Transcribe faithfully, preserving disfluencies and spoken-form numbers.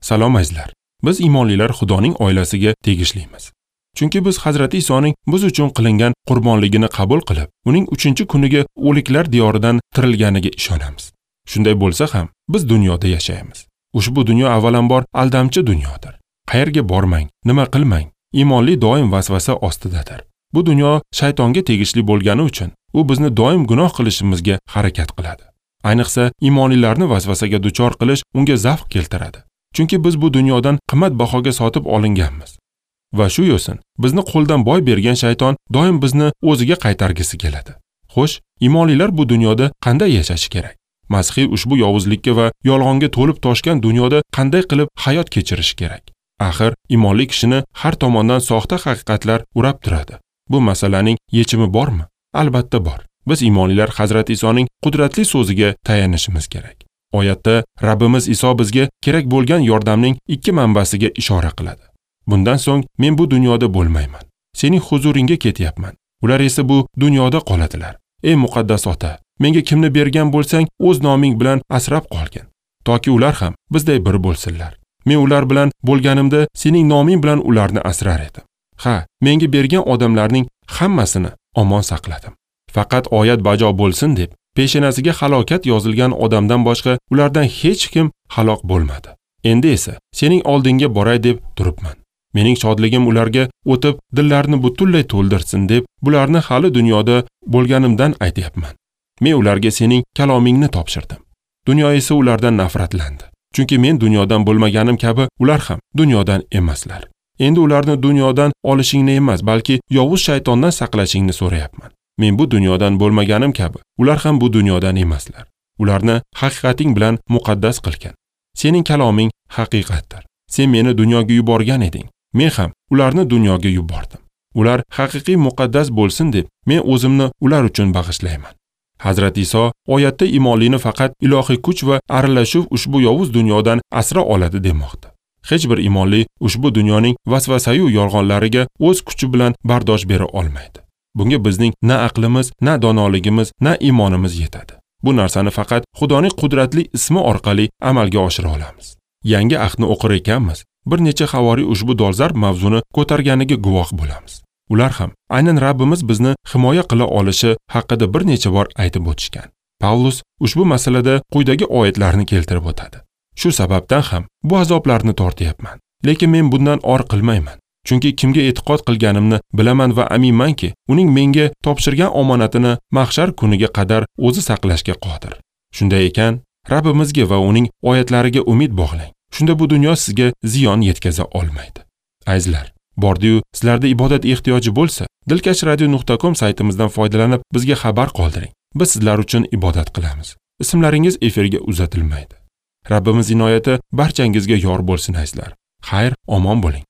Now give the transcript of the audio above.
Salom azizlar. Biz iymonlilar Xudoning oilasiga tegishlimiz. Chunki biz Hazrati Isoning biz uchun qilingan qurbonligini qabul qilib, uning uchinchi kuniga o'liklar diyoridan tirilganiga ishonamiz. Shunday bo'lsa ham, biz dunyoda yashaymiz. Ushbu dunyo avvalambor aldamchi dunyodir. Qayerga bormang, nima qilmang, iymonli doim vasvasa ostidadir. Bu dunyo shaytonga tegishli bo'lgani uchun u bizni doim gunoh qilishimizga harakat qiladi. Ayniqsa, iymonlilarni vasvasaga duchor qilish unga zavq keltiradi. Chunki biz bu dunyodan qimmat bahoga sotib olinganmiz. Va shu yo'sin bizni qo'ldan boy bergan shayton doim bizni o'ziga qaytargisi keladi. Xo'sh, iymonlilar bu dunyoda qanday yashashi kerak? Masihiy ushbu yovuzlikka va yolg'onga to'lib toshgan dunyoda qanday qilib hayot kechirishi kerak? Axir, iymonli kishini har tomondan soxta haqiqatlar urab turadi. Bu masalaning yechimi bormi? Albatta bor. Biz iymonlilar Hazrati Isoning qudratli so'ziga tayanishimiz kerak. Oyatda Rabbimiz Iso bizga kerak bo'lgan yordamning ikki manbasiga ishora qiladi. Bundan so'ng men bu dunyoda bo'lmayman. Sening huzuringga ketyapman. Ular esa bu dunyoda qoladilar. Ey muqaddas ota, menga kimni bergan bo'lsang, o'z noming bilan asrab qolgin, toki ular ham bizday bir bo'lsinlar. Men ular bilan bo'lganimda sening noming bilan ularni asrar edim. Ha, menga bergan odamlarning hammasini omon saqladim. Faqat oyat bajo bo'lsin deb peshonasiga halokat yozilgan odamdan boshqa ulardan hech kim halok bo'lmadi. Endi esa sening oldingga boray deb turibman. Mening shodligim ularga o'tib, dillarini butunlay to'ldirsin deb bularni hali dunyoda bo'lganimdan aytyapman. Men ularga sening kalomingni topshirdim. Dunyo esa ulardan nafratlandi. Chunki men dunyodan bo'lmaganim kabi ular ham dunyodan emaslar. Endi ularni dunyodan olishingni emas, balki yovuz shaytondan saqlashingni so'rayapman. Men bu dunyodan bo'lmaganim kabi ular ham bu dunyodan emaslar. Ularni haqiqating bilan muqaddas qilgin. Sening kaloming haqiqatdir. Sen meni dunyoga yuborgan eding. Men ham ularni dunyoga yubordim. Ular haqiqiy muqaddas bo'lsin deb men o'zimni ular uchun bag'ishlayman. Hazrat Iso oyatda iymonlini faqat ilohiy kuch va aralashuv ushbu yovuz dunyodan asra oladi demoqda. Hech bir iymonli ushbu dunyoning vasvasayu yolg'onlariga o'z kuchi bilan bardosh bera olmaydi. Bunga bizning na aqlimiz, na donoligimiz, na iymonimiz yetadi. Bu narsani faqat Xudoning qudratli ismi orqali amalga oshira olamiz. Yangi ahdni o'qir ekanmiz, bir necha havoriy ushbu dolzarb mavzuni ko'targaniga guvoh bo'lamiz. Ular ham aynan Rabbimiz bizni himoya qila olishi haqida bir necha bor aytib o'tishgan. Pavlus ushbu masalada quyidagi oyatlarni keltirib o'tadi. Shu sababdan ham bu azoblarni tortyapman. Lekin men bundan or qilmayman. Chunki kimga e'tiqod qilganimni bilaman va aminmanki, uning menga topshirgan omonatini mahshar kuniga qadar o'zi saqlashga qodir. Shunday ekan, Rabbimizga va uning oyatlariga umid bog'lang. Shunda bu dunyo sizga ziyon yetkaza olmaydi. Azizlar, bordi-yu sizlarda ibodat ehtiyoji bo'lsa, dilkash radio nuqta com saytimizdan foydalanib bizga xabar qoldiring. Biz sizlar uchun ibodat qilamiz. Ismlaringiz efirga uzatilmaydi. Rabbimiz inoyati barchangizga yor bo'lsin azizlar. Xayr, omon bo'ling.